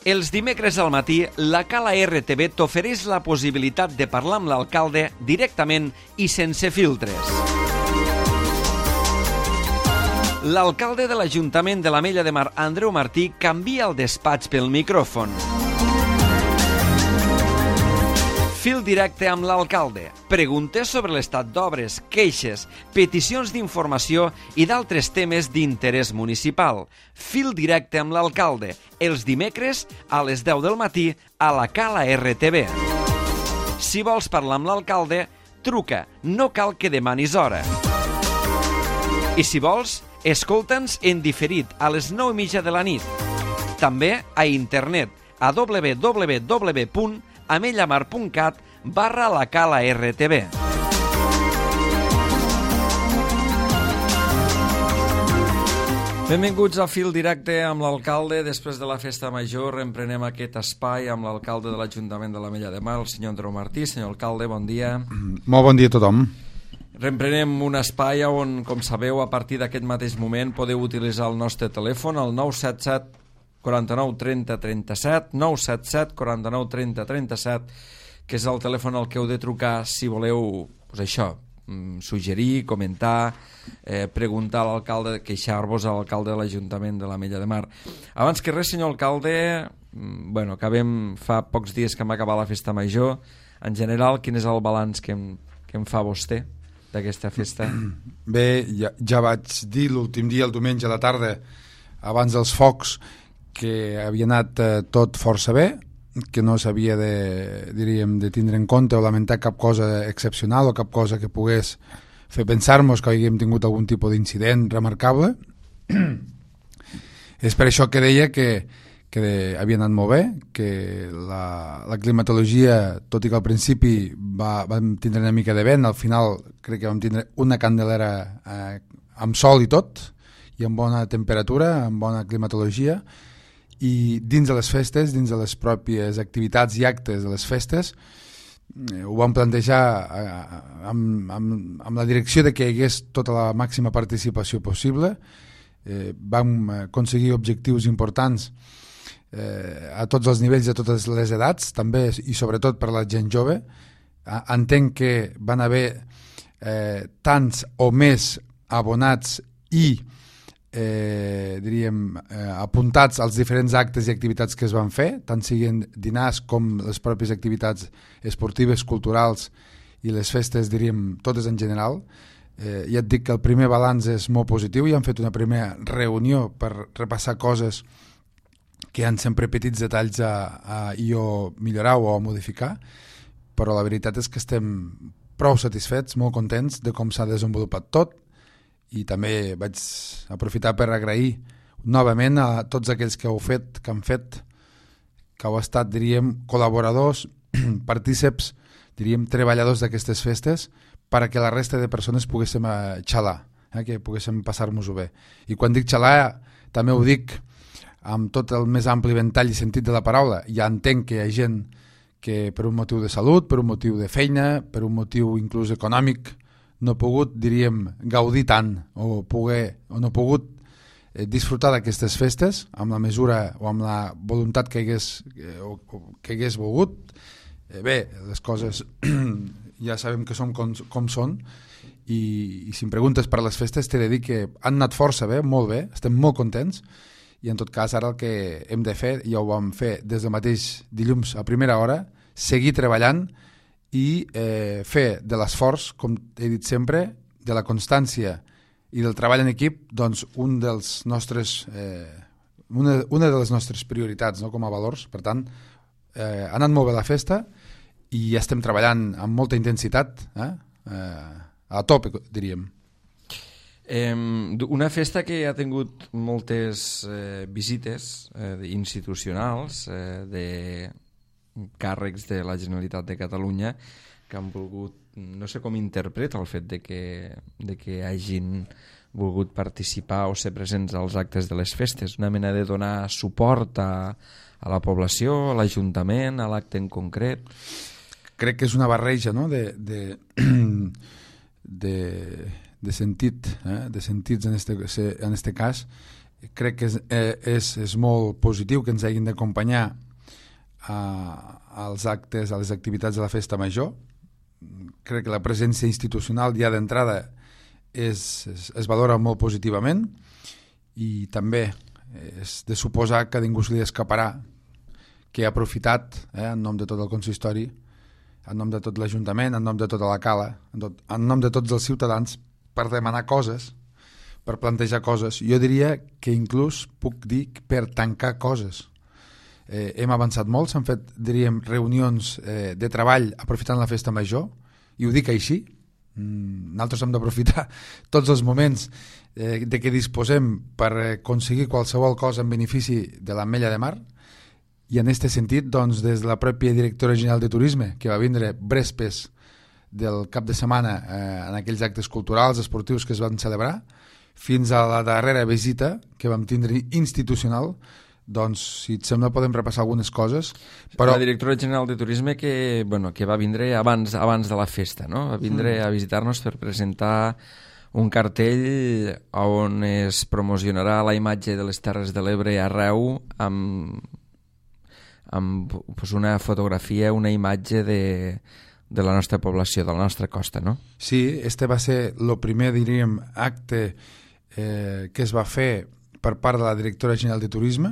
Els dimecres al matí, la Cala RTV t'ofereix la possibilitat de parlar amb l'alcalde directament i sense filtres. L'alcalde de l'Ajuntament de l'Ametlla de Mar, Andreu Martí, canvia el despatx pel micròfon. Fil directe amb l'alcalde. Preguntes sobre l'estat d'obres, queixes, peticions d'informació i d'altres temes d'interès municipal. Fil directe amb l'alcalde. Els dimecres a les 10 del matí a la Cala RTV. Si vols parlar amb l'alcalde, truca. No cal que demanis hora. I si vols, escolta'ns en diferit a les 9:30 de la nit. També a internet a www.amellamar.cat/la Cala RTV. Benvinguts a Fil Directe amb l'alcalde. Després de la festa major reemprenem aquest espai amb l'alcalde de l'Ajuntament de l'Ametlla de Mar, el senyor Andreu Martí. Senyor alcalde, bon dia. Molt bon dia a tothom. Reemprenem un espai on, com sabeu, a partir d'aquest mateix moment podeu utilitzar el nostre telèfon, el 977 49 30 37, 977 49 30 37, que és el telèfon al que heu de trucar si voleu, doncs això, suggerir, comentar, preguntar a l'alcalde, queixar-vos a l'alcalde de l'Ajuntament de l'Ametlla de Mar. Abans que res, senyor alcalde, fa pocs dies que hem acabat la festa major. En general, quin és el balanç que em fa vostè d'aquesta festa? Bé, ja vaig dir l'últim dia, el diumenge a la tarda, abans dels focs, que havia anat tot força bé, que no s'havia de tindre en compte o lamentar cap cosa excepcional o cap cosa que pogués fer pensar-nos que haguem tingut algun tipus d'incident remarcable. És per això que deia que havia anat molt bé, que la climatologia, tot i que al principi vam tindre una mica de vent, al final crec que vam tindre una candelera amb sol i tot, i amb bona temperatura, amb bona climatologia. I dins de les festes, dins de les pròpies activitats i actes de les festes, ho vam plantejar amb la direcció de que hi hagués tota la màxima participació possible. Vam aconseguir objectius importants a tots els nivells, a totes les edats, també i sobretot per la gent jove. Entenc que van haver tants o més abonats i apuntats als diferents actes i activitats que es van fer, tant siguin dinars com les pròpies activitats esportives, culturals i les festes, totes en general. Ja et dic que el primer balanç és molt positiu i hem fet una primera reunió per repassar coses que hi ha sempre petits detalls a millorar o a modificar, però la veritat és que estem prou satisfets, molt contents de com s'ha desenvolupat tot. I també vaig aprofitar per agrair novament a tots aquells que heu fet, que han fet, que heu estat, col·laboradors, partíceps, treballadors d'aquestes festes, perquè la resta de persones poguéssim xalar, que poguéssim passar-nos-ho bé. I quan dic xalar, també ho dic amb tot el més ampli ventall i sentit de la paraula. Ja entenc que hi ha gent que per un motiu de salut, per un motiu de feina, per un motiu inclús econòmic, no ha pogut, gaudir tant o no ha pogut disfrutar d'aquestes festes amb la mesura o amb la voluntat que hagués volgut. Bé, les coses ja sabem que són com són i si em preguntes per les festes t'he de dir que han anat força bé, molt bé, estem molt contents i en tot cas ara el que hem de fer, ja ho vam fer des del mateix dilluns a primera hora, seguir treballant i fer de l'esforç, com he dit sempre, de la constància i del treball en equip, doncs una de les nostres prioritats, no?, com a valors. Per tant, ha anat molt bé la festa i estem treballant amb molta intensitat, a tope, diríem. Una festa que ha tingut moltes visites institucionals de càrrecs de la Generalitat de Catalunya que han volgut, no sé com interpreta el fet de que hagin volgut participar o ser presents als actes de les festes, una mena de donar suport a la població, a l'Ajuntament, a l'acte en concret. Crec que és una barreja, no?, de sentit, de sentits en este cas, crec que és molt positiu que ens hagin d'acompanyar als actes, a les activitats de la festa major. Crec que la presència institucional ja d'entrada es valora molt positivament, i també és de suposar que ningú se li escaparà que ha aprofitat en nom de tot el consistori, en nom de tot l'Ajuntament, en nom de tota la cala, en nom de tots els ciutadans, per demanar coses, per plantejar coses. Jo diria que inclús puc dir per tancar coses. Hem avançat molt, s'han fet, diríem, reunions de treball aprofitant la festa major, i ho dic així. Nosaltres hem d'aprofitar tots els moments de què disposem per aconseguir qualsevol cosa en benefici de l'Ametlla de Mar, i en aquest sentit, doncs, des de la pròpia directora general de Turisme, que va vindre brespes del cap de setmana en aquells actes culturals, esportius que es van celebrar, fins a la darrera visita que vam tindre institucional, doncs, si et sembla, podem repassar algunes coses. Però... La directora general de Turisme que va vindre abans de la festa, no? Va vindre a visitar-nos per presentar un cartell on es promocionarà la imatge de les Terres de l'Ebre arreu amb una fotografia, una imatge de la nostra població, de la nostra costa, no? Sí, este va ser el primer, diríem, acte que es va fer per part de la directora general de Turisme.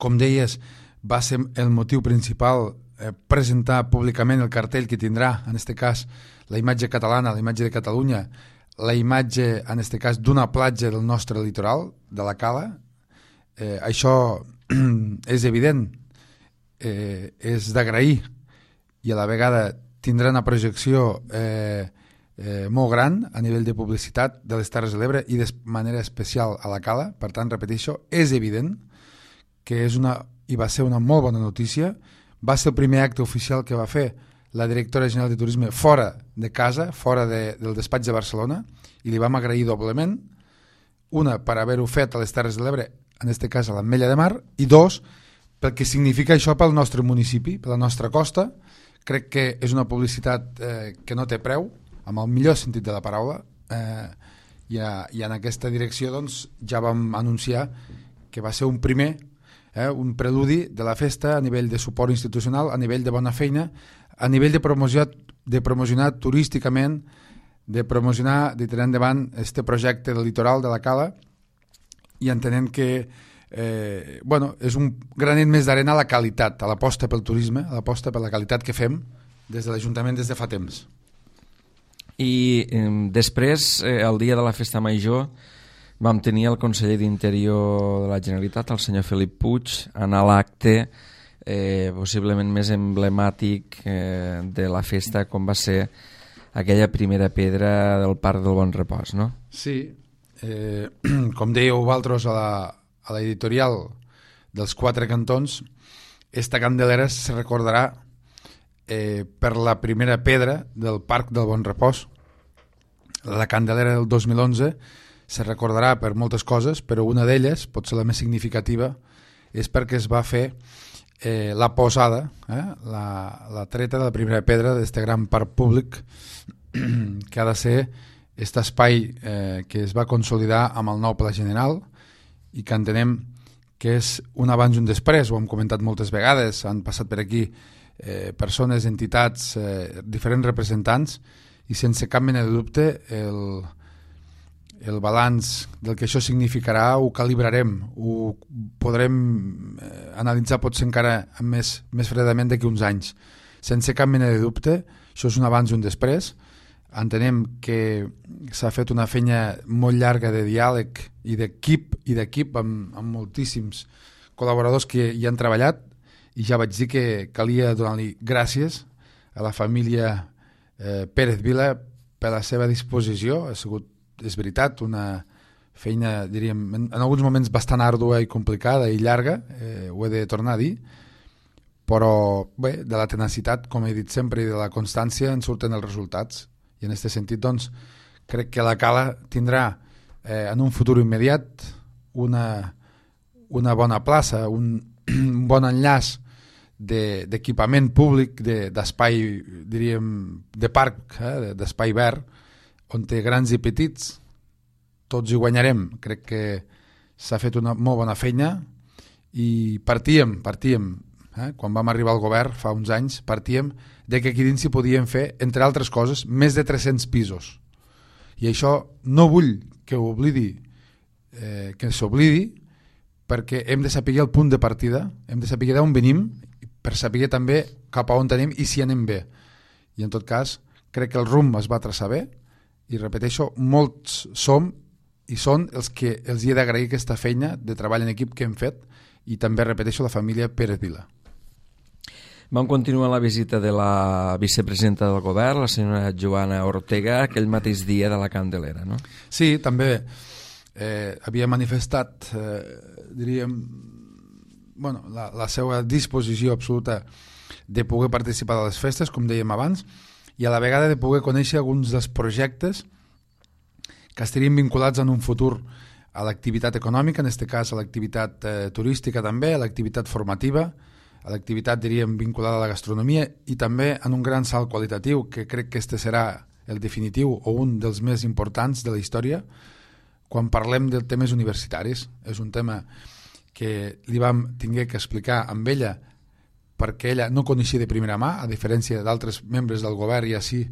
Com deies, va ser el motiu principal presentar públicament el cartell que tindrà, en aquest cas, la imatge catalana, la imatge de Catalunya, la imatge, en aquest cas, d'una platja del nostre litoral, de la Cala. Això és evident, és d'agrair, i a la vegada tindrà una projecció molt gran a nivell de publicitat de les Terres de l'Ebre i de manera especial a la Cala. Per tant, repeteixo, és evident que i va ser una molt bona notícia. Va ser el primer acte oficial que va fer la directora general de Turisme fora de casa, fora del despatx de Barcelona, i li vam agrair doblement. Una, per haver-ho fet a les Terres de l'Ebre, en aquest cas a l'Ametlla de Mar, i dos, pel que significa això pel nostre municipi, per la nostra costa. Crec que és una publicitat que no té preu, amb el millor sentit de la paraula, i en aquesta direcció doncs, ja vam anunciar que va ser un primer, un preludi de la festa a nivell de suport institucional, a nivell de bona feina, a nivell de promocionar turísticament, de tirar endavant este projecte del litoral de la Cala, i entenent que és un granet més d'arena a la qualitat, a l'aposta pel turisme, a l'aposta per la qualitat que fem des de l'Ajuntament des de fa temps. I després, el dia de la Festa Major, vam tenir el conseller d'Interior de la Generalitat, el senyor Felip Puig, anar a l'acte possiblement més emblemàtic de la festa, com va ser aquella primera pedra del Parc del Bon Repòs, no? Sí, com dèieu vosaltres a l'editorial dels Quatre Cantons, esta candelera se recordarà per la primera pedra del Parc del Bon Repòs. La candelera del 2011 se recordarà per moltes coses, però una d'elles, potser la més significativa, és perquè es va fer la posada, la treta de la primera pedra d'aquest gran parc públic que ha de ser aquest espai que es va consolidar amb el nou Pla General i que entenem que és un abans i un després. Ho hem comentat moltes vegades, han passat per aquí persones, entitats, diferents representants, i sense cap mena de dubte el balanç del que això significarà ho calibrarem, ho podrem analitzar potser encara més fredament d'aquí uns anys. Sense cap mena de dubte, això és un abans i un després. Entenem que s'ha fet una feina molt llarga de diàleg i d'equip amb moltíssims col·laboradors que hi han treballat, i ja vaig dir que calia donar-li gràcies a la família Pérez Vila per la seva disposició. Ha sigut, és veritat, una feina, diríem, en alguns moments bastant àrdua i complicada i llarga, ho he de tornar a dir, però bé, de la tenacitat, com he dit sempre, i de la constància en surten els resultats. I en aquest sentit, doncs, crec que la Cala tindrà en un futur immediat una bona plaça, un bon enllaç d'equipament públic, d'espai, diríem, de parc, d'espai verd, on té grans i petits, tots hi guanyarem. Crec que s'ha fet una molt bona feina i partíem, quan vam arribar al govern fa uns anys, partíem de que aquí dins s'hi podien fer, entre altres coses, més de 300 pisos. I això no vull que que s'oblidi, perquè hem de saber el punt de partida, hem de saber d'on venim, per saber també cap a on tenim i si anem bé. I en tot cas, crec que el rumb es va traçar bé i repeteixo, molts som i són els que els hi he d'agrair aquesta feina de treball en equip que hem fet i també repeteixo la família Pérez Vila. Vam continuar la visita de la vicepresidenta del govern, la senyora Joana Ortega, aquell mateix dia de la Candelera, no? Sí, també havia manifestat, diríem, la seva disposició absoluta de poder participar de les festes, com dèiem abans, i a la vegada de poder conèixer alguns dels projectes que estarien vinculats en un futur a l'activitat econòmica, en aquest cas a l'activitat turística també, a l'activitat formativa, a l'activitat, diríem, vinculada a la gastronomia i també en un gran salt qualitatiu, que crec que este serà el definitiu o un dels més importants de la història quan parlem de temes universitaris. És un tema que li vam tinguer que explicar amb ella perquè ella no coneixia de primera mà, a diferència d'altres membres del govern i així,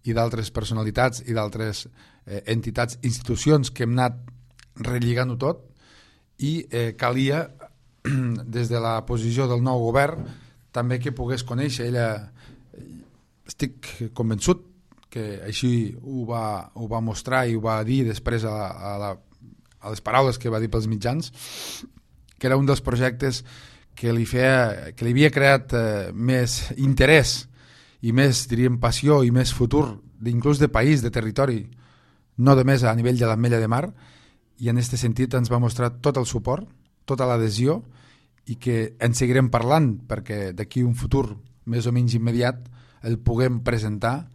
i d'altres personalitats i d'altres entitats, institucions que hem anat relligant-ho tot i calia des de la posició del nou govern també que pogués conèixer. Ella, estic convençut que així ho va mostrar i ho va dir després a les paraules que va dir pels mitjans, que era un dels projectes que li havia creat més interès i més, diríem, passió i més futur, inclús de país, de territori, no només a nivell de l'Ametlla de Mar, i en aquest sentit ens va mostrar tot el suport, tota l'adhesió, i que en seguirem parlant perquè d'aquí un futur més o menys immediat el puguem presentar,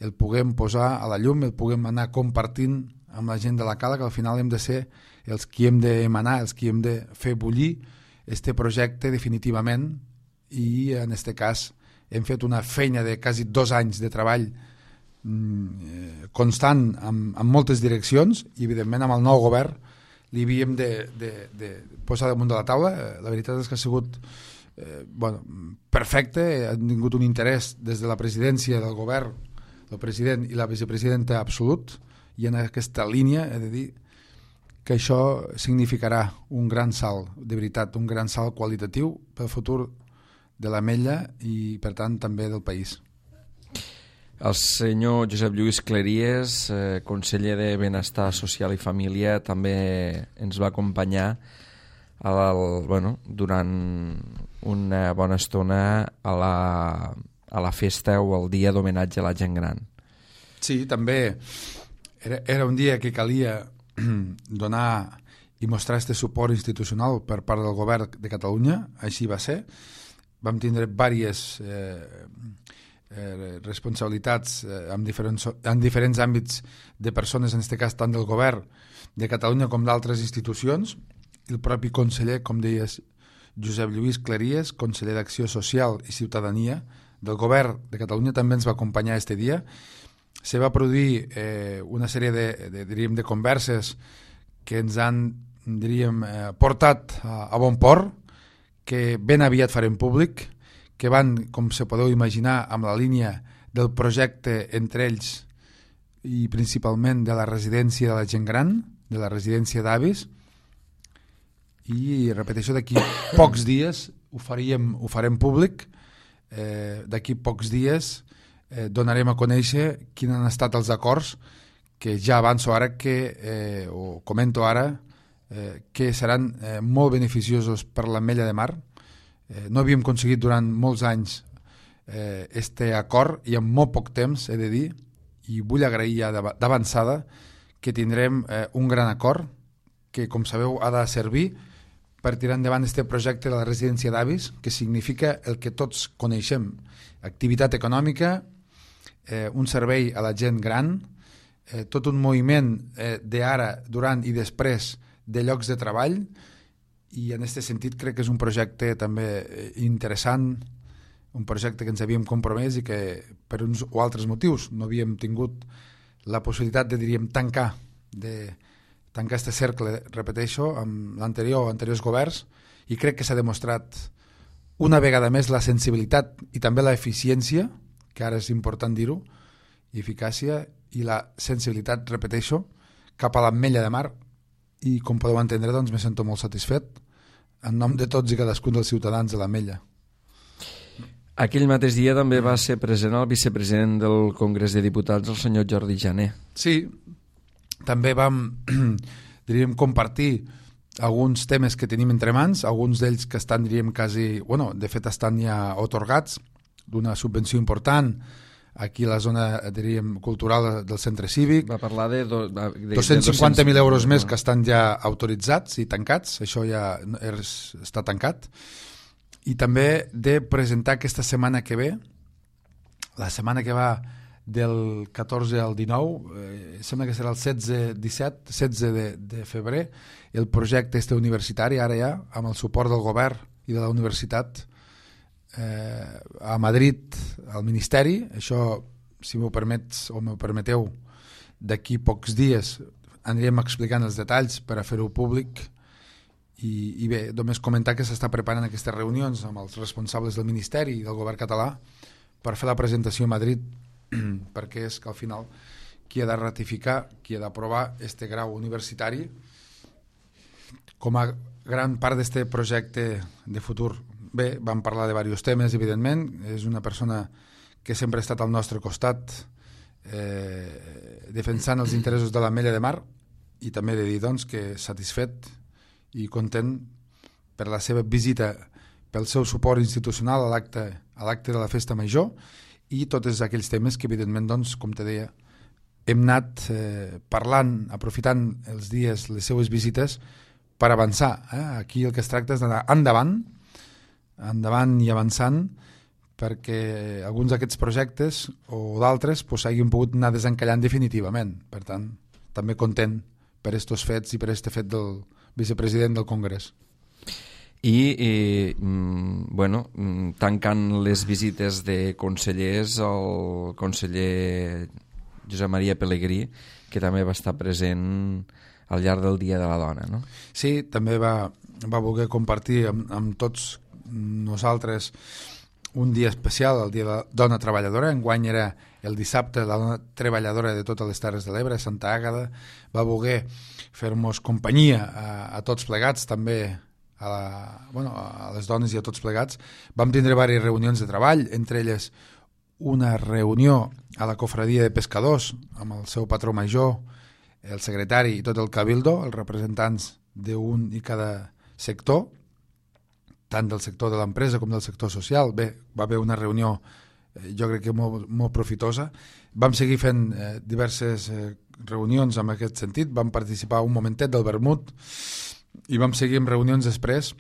el puguem posar a la llum, el puguem anar compartint amb la gent de la Cala, que al final hem de ser els qui hem d'emanar, els qui hem de fer bullir este projecte definitivament, i en aquest cas hem fet una feina de quasi 2 anys de treball constant en moltes direccions i evidentment amb el nou govern li havíem de posar damunt de la taula. La veritat és que ha sigut perfecte, ha tingut un interès des de la presidència del govern, el president i la vicepresidenta absolut, i en aquesta línia he de dir que això significarà un gran salt, de veritat, un gran salt qualitatiu pel futur de l'Ametlla i per tant també del país. El senyor Josep Lluís Cleries, conseller de Benestar Social i Família, també ens va acompanyar durant una bona estona a la festa o al dia d'homenatge a la gent gran. Sí, també era un dia que calia donar i mostrar aquest suport institucional per part del govern de Catalunya, així va ser. Vam tindre diverses responsabilitats en diferents àmbits de persones, en aquest cas tant del govern de Catalunya com d'altres institucions, i el propi conseller, com deies, Josep Lluís Cleries, conseller d'Acció Social i Ciutadania del govern de Catalunya, també ens va acompanyar aquest dia. Se va produir una sèrie de converses que ens han, portat a bon port, que ben aviat farem públic, que van, com se podeu imaginar, amb la línia del projecte entre ells i principalment de la residència de la gent gran, de la residència d'avis, i repeteixo, d'aquí pocs dies ho farem públic, d'aquí pocs dies donarem a conèixer quins han estat els acords que ja avanço ara o comento ara que seran molt beneficiosos per l'Ametlla de Mar. No havíem aconseguit durant molts anys este acord i en molt poc temps, he de dir, i vull agrair ja d'avançada que tindrem un gran acord que, com sabeu, ha de servir per tirar endavant este projecte de la residència d'avis, que significa el que tots coneixem: activitat econòmica, un servei a la gent gran, tot un moviment d'ara, durant i després de llocs de treball, i en aquest sentit crec que és un projecte també interessant, un projecte que ens havíem compromès i que per uns o altres motius no havíem tingut la possibilitat de, tancar, de tancar aquest cercle, repeteixo, amb anteriors governs, i crec que s'ha demostrat una vegada més la sensibilitat i també la eficiència, que ara és important dir-ho, i eficàcia i la sensibilitat, repeteixo, cap a l'Ametlla de Mar, i com podeu entendre, doncs, me sento molt satisfet en nom de tots i cadascun dels ciutadans de l'Ametlla. Aquell mateix dia també va ser present el vicepresident del Congrés de Diputats, el senyor Jordi Jané. Sí, també vam, diríem, compartir alguns temes que tenim entre mans, alguns d'ells que estan, diríem, quasi, bueno, de fet estan ja otorgats d'una subvenció important aquí a la zona, diríem, cultural del centre cívic. Va parlar de 250.000 euros més que estan ja autoritzats i tancats, això ja està tancat. I també de presentar aquesta setmana que ve, la setmana que va del 14 al 19, sembla que serà el 16 de febrer, el projecte universitari, ara ja, amb el suport del govern i de la universitat, a Madrid, al Ministeri. Això, si m'ho permets o m'ho permeteu, d'aquí pocs dies anirem explicant els detalls per a fer-ho públic. I bé, només comentar que s'està preparant aquestes reunions amb els responsables del Ministeri i del govern català per fer la presentació a Madrid, perquè és que al final qui ha de ratificar, qui ha d'aprovar este grau universitari com a gran part d'aquest projecte de futur. Bé, vam parlar de diversos temes, evidentment. És una persona que sempre ha estat al nostre costat, defensant els interessos de l'Ametlla de Mar, i també de dir, doncs, que satisfet i content per la seva visita, pel seu suport institucional a l'acte de la Festa Major i tots aquells temes que, evidentment, doncs, com te deia, hem anat parlant, aprofitant els dies, les seues visites, per avançar. Aquí el que es tracta és d'anar endavant i avançant, perquè alguns d'aquests projectes o d'altres s'hagin pogut anar desencallant definitivament. Per tant, també content per estos fets i per este fet del vicepresident del Congrés. I bueno, tancant les visites de consellers, el conseller Josep Maria Pelegrí, que també va estar present al llarg del Dia de la Dona, no? Sí, també va voler compartir amb tots nosaltres un dia especial, el Dia de la Dona Treballadora. Enguany era el dissabte, la dona treballadora de totes les Terres de l'Ebre, Santa Àgueda. Va voler fer-nos companyia a tots plegats, també a les dones i a tots plegats. Vam tindre diverses reunions de treball, entre elles una reunió a la cofradia de pescadors amb el seu patró major, el secretari i tot el cabildo, els representants d'un i cada sector, tant del sector de l'empresa com del sector social. Bé, va haver una reunió jo crec que molt profitosa. Vam seguir fent diverses reunions en aquest sentit, vam participar un momentet del vermut i vam seguir amb reunions després,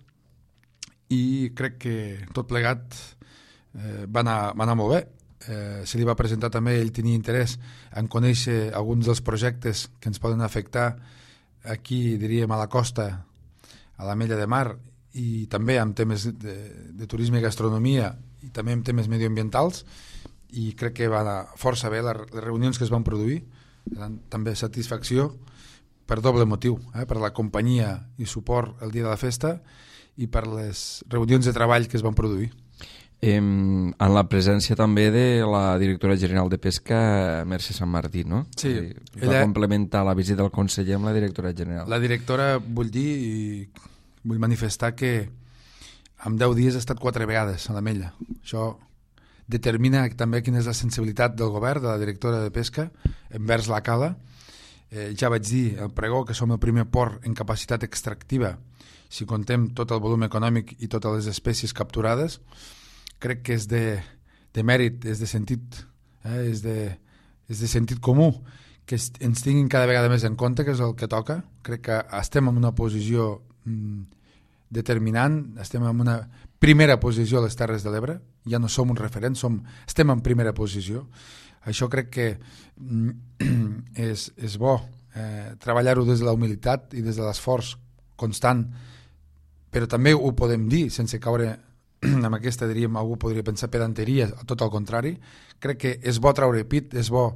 i crec que tot plegat va anar molt bé. Se li va presentar també, ell tenia interès en conèixer alguns dels projectes que ens poden afectar aquí, diríem, a la costa, a l'Ametlla de Mar, i també amb temes de turisme i gastronomia, i també amb temes medioambientals, i crec que va anar força bé les reunions que es van produir. Eren també satisfacció per doble motiu, per la companyia i suport el dia de la festa i per les reunions de treball que es van produir. En la presència també de la directora general de Pesca, Mercè Sant Martí, no? Sí. Va complementar la visita del conseller amb la directora general. La directora, vull dir, i vull manifestar que en 10 dies ha estat 4 vegades a l'Ametlla. Això determina també quina és la sensibilitat del govern, de la directora de Pesca, envers la cala. Ja vaig dir al pregó que som el primer port en capacitat extractiva, si contem tot el volum econòmic i totes les espècies capturades. Crec que és de mèrit, és de sentit, és de sentit comú que ens tinguin cada vegada més en compte, que és el que toca. Crec que estem en una posició determinant, estem en una primera posició a les Terres de l'Ebre, ja no som un referent, estem en primera posició. Això crec que és bo, treballar-ho des de la humilitat i des de l'esforç constant, però també ho podem dir sense caure amb aquesta, diríem, algú podria pensar pedanteria, tot el contrari. Crec que és bo treure pit, és bo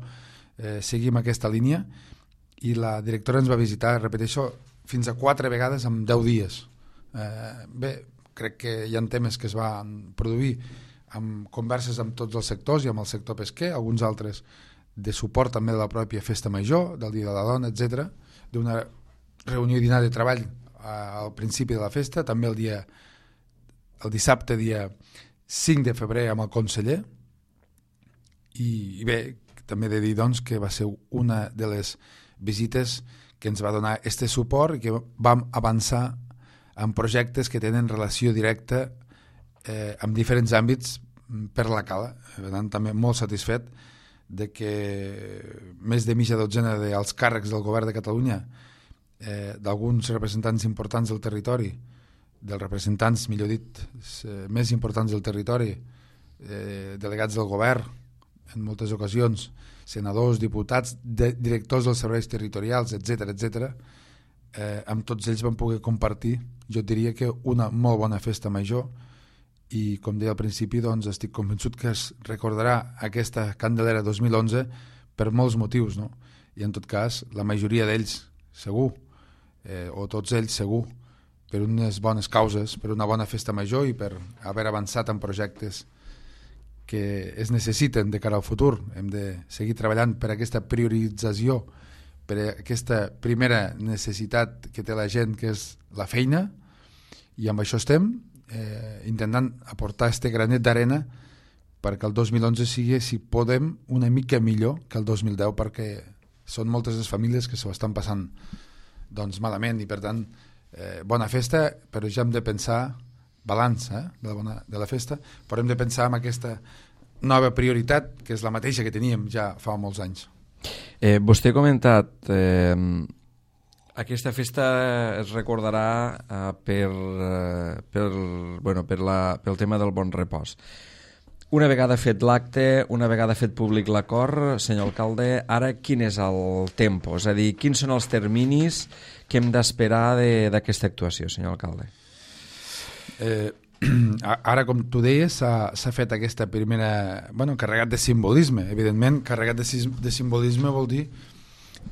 seguir amb aquesta línia, i la directora ens va visitar, repeteixo, fins a 4 vegades en 10 dies. Bé, crec que hi ha temes que es van produir amb converses amb tots els sectors i amb el sector pesquer, alguns altres de suport també de la pròpia festa major, del Dia de la Dona, etc., d'una reunió i dinar de treball al principi de la festa, també el dissabte, dia 5 de febrer, amb el conseller, i bé, també he de dir doncs, que va ser una de les visites que ens va donar este suport i que vam avançar en projectes que tenen relació directa en diferents àmbits per la cala. Per tant, també molt satisfet de que més de mitja dotzena dels càrrecs del govern de Catalunya, d'alguns representants importants del territori, dels representants, millor dit, més importants del territori, delegats del govern, en moltes ocasions, senadors, diputats, directors dels serveis territorials, etc., amb tots ells vam poder compartir, jo diria que una molt bona festa major, i com deia al principi, doncs, estic convençut que es recordarà aquesta Candelera 2011 per molts motius, no? I en tot cas, la majoria d'ells segur, o tots ells segur, per unes bones causes, per una bona festa major i per haver avançat en projectes que es necessiten de cara al futur. Hem de seguir treballant per aquesta priorització, per aquesta primera necessitat que té la gent, que és la feina, i amb això estem intentant aportar este granet d'arena perquè el 2011 sigui, si podem, una mica millor que el 2010, perquè són moltes les famílies que s'ho estan passant doncs malament, i per tant bona festa, però ja hem de pensar balanç de la festa, però hem de pensar en aquesta nova prioritat, que és la mateixa que teníem ja fa molts anys. Vostè ha comentat aquesta festa es recordarà pel tema del bon repòs. Una vegada fet l'acte, una vegada fet públic l'acord, senyor alcalde, ara quin és el tempo? És a dir, quins són els terminis que hem d'esperar d'aquesta actuació, senyor alcalde? Ara, com tu deies, s'ha fet aquesta primera... carregat de simbolisme. Evidentment, carregat de simbolisme vol dir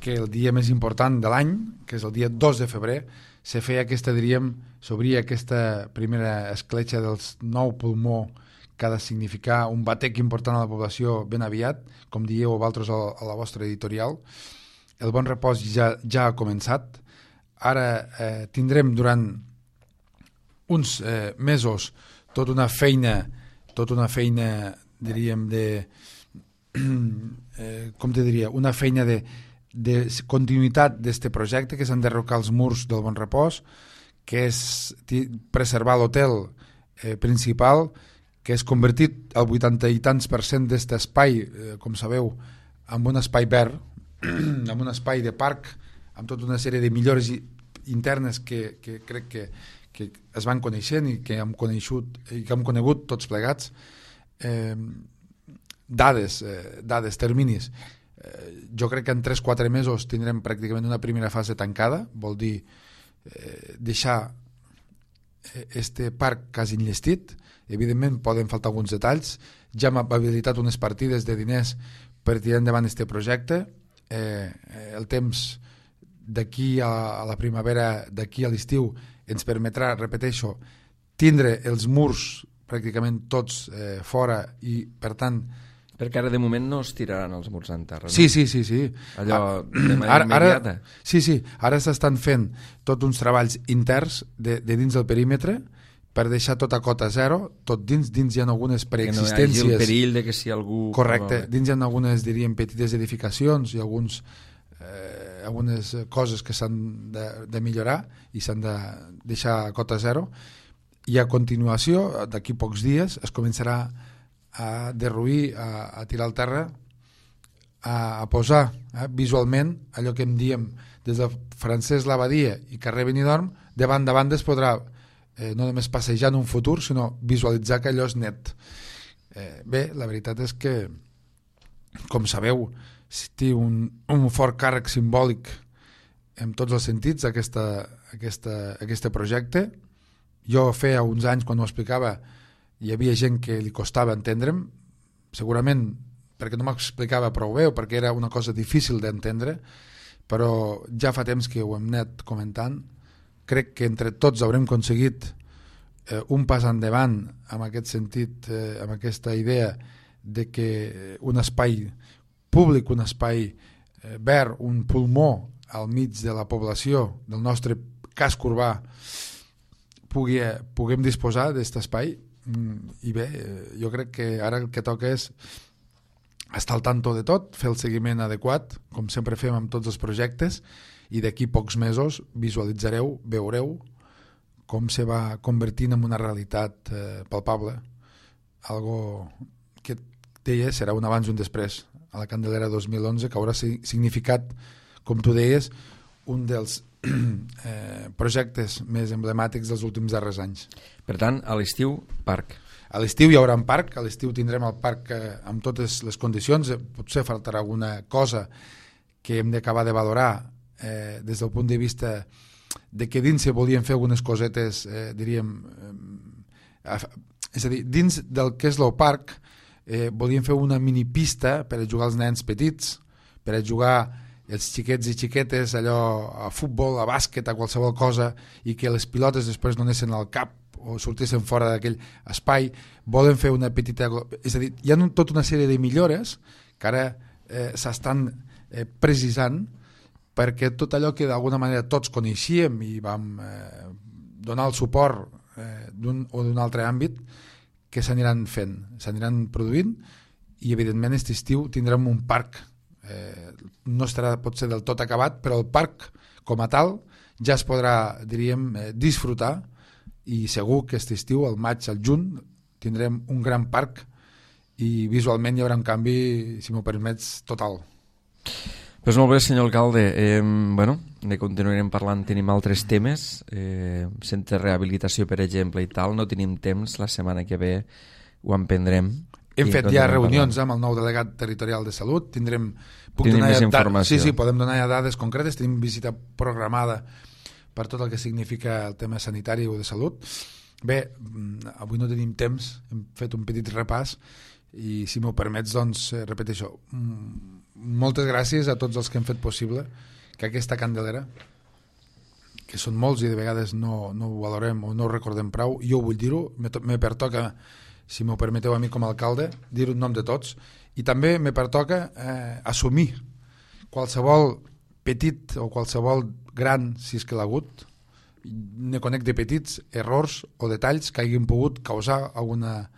que el dia més important de l'any, que és el dia 2 de febrer, se feia aquesta, s'obria aquesta primera escletxa del nou pulmó que ha de significar un batec important a la població ben aviat, com dieu vosaltres a la vostra editorial. El bon repòs ja ha començat. Ara tindrem durant uns mesos tota una feina, diríem, una feina de continuïtat d'este projecte, que s'han d'enderrocar els murs del bon repòs, que és preservar l'hotel principal, que és convertit al 80 i tants % d'este espai, com sabeu, en un espai verd, en un espai de parc, amb tota una sèrie de millores internes que crec que es van coneixent i que hem conegut tots plegats. Dades, terminis. Jo crec que en 3-4 mesos tindrem pràcticament una primera fase tancada, vol dir deixar este parc quasi enllestit. Evidentment poden faltar alguns detalls. Ja hem habilitat unes partides de diners per tirar endavant este projecte. El temps d'aquí a la primavera, d'aquí a l'estiu, ens permetrà, repeteixo, tindre els murs pràcticament tots fora, i per tant... Perquè ara de moment no es tiraran els murs en terra, no? Sí. Allò de manera immediata. Sí, ara s'estan fent tots uns treballs interns de dins del perímetre per deixar tota cota zero, tot dins hi ha algunes preexistències. Que no hi hagi el perill de que si algú... Correcte, dins hi ha algunes, diríem, petites edificacions i algunes coses que s'han de millorar i s'han de deixar a cota zero, i a continuació, d'aquí pocs dies, es començarà a derruir, a tirar al terra, a posar visualment allò que em diem des de Francesc Labadia i carrer Benidorm, de banda a banda es podrà no només passejar en un futur, sinó visualitzar que allò és net. Bé, la veritat és que, com sabeu, té un fort càrrec simbòlic en tots els sentits aquest projecte. Jo feia uns anys, quan ho explicava, hi havia gent que li costava entendre'm, segurament perquè no m'explicava prou bé o perquè era una cosa difícil d'entendre, però ja fa temps que ho hem anat comentant. Crec que entre tots haurem aconseguit un pas endavant en aquest sentit, amb aquesta idea de que un espai públic, un espai verd, un pulmó al mig de la població del nostre casc urbà puguem disposar d'aquest espai. I bé, jo crec que ara el que toca és estar al tanto de tot, fer el seguiment adequat, com sempre fem amb tots els projectes, i d'aquí pocs mesos visualitzareu, veureu com se va convertint en una realitat palpable, algo que deia serà un abans i un després a la Candelera 2011, que haurà significat, com tu deies, un dels projectes més emblemàtics dels últims darrers anys. Per tant, a l'estiu, parc. A l'estiu hi haurà un parc, a l'estiu tindrem el parc amb totes les condicions, potser faltarà alguna cosa que hem d'acabar de valorar des del punt de vista de que dins se volien fer algunes cosetes, diríem, és a dir, dins del que és el parc volien fer una minipista per a jugar als nens petits, per a jugar els xiquets i xiquetes allò a futbol, a bàsquet, a qualsevol cosa, i que les pilotes després no anessin al cap o sortissin fora d'aquell espai. Volen fer una petita... És a dir, hi ha tota una sèrie de millores que ara s'estan precisant perquè tot allò que d'alguna manera tots coneixíem i vam donar el suport d'un o d'un altre àmbit, que s'aniran fent, s'aniran produint, i evidentment aquest estiu tindrem un parc. No estarà potser del tot acabat, però el parc com a tal ja es podrà, diríem, disfrutar, i segur que aquest estiu, al maig, al juny, tindrem un gran parc i visualment hi haurà un canvi, si m'ho permets, total. Pues molt bé, senyor alcalde. Bueno, ne continuarem parlant, tenim altres temes, centre de rehabilitació, per exemple, i tal, no tenim temps, la setmana que ve ho emprendrem. Hem fet ja reunions amb el nou delegat territorial de Salut, tindrem més informació. Sí, podem donar ja dades concretes, tenim visita programada per tot el que significa el tema sanitari o de salut. Bé, avui no tenim temps, hem fet un petit repàs i si m'ho permets, doncs, repeteixo, moltes gràcies a tots els que han fet possible que aquesta Candelera, que són molts i de vegades no ho valorem o no ho recordem prou, jo vull dir-ho, me pertoca, si m'ho permeteu a mi com a alcalde, dir-ho en nom de tots, i també me pertoca assumir qualsevol petit o qualsevol gran, si és que l'ha hagut, ne conec de petits errors o detalls que hagin pogut causar alguna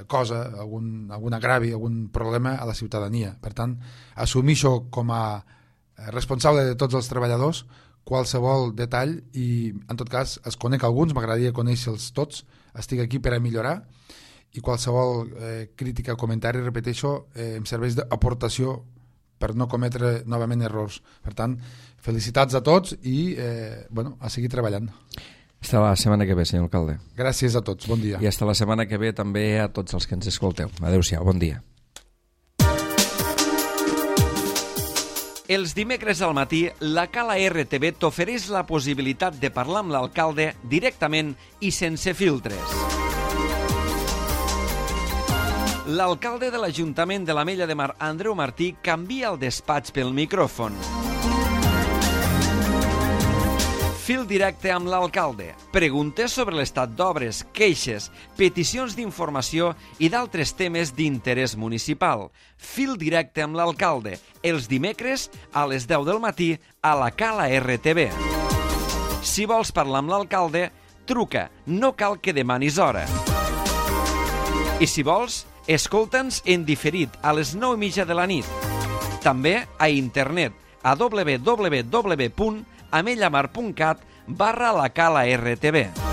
cosa, algun agravi, algun problema a la ciutadania. Per tant, assumir això com a responsable de tots els treballadors, qualsevol detall, i en tot cas els conec alguns, m'agradaria conèixer-los tots, estic aquí per a millorar, i qualsevol crítica o comentari, repeteixo, em serveix d'aportació per no cometre novament errors. Per tant, felicitats a tots i a seguir treballant. Fins la setmana que ve, senyor alcalde. Gràcies a tots, bon dia. I fins la setmana que ve també a tots els que ens escolteu. Adéu-siau, bon dia. Els dimecres al matí, la Cala RTV t'ofereix la possibilitat de parlar amb l'alcalde directament i sense filtres. L'alcalde de l'Ajuntament de l'Ametlla de Mar, Andreu Martí, canvia el despatx pel micròfon. Fil directe amb l'alcalde. Preguntes sobre l'estat d'obres, queixes, peticions d'informació i d'altres temes d'interès municipal. Fil directe amb l'alcalde. Els dimecres a les 10 del matí a la Cala RTV. Si vols parlar amb l'alcalde, truca. No cal que demanis hora. I si vols, escolta'ns en diferit a les 9:30 de la nit. També a internet a www.amellamar.cat/la Cala RTV.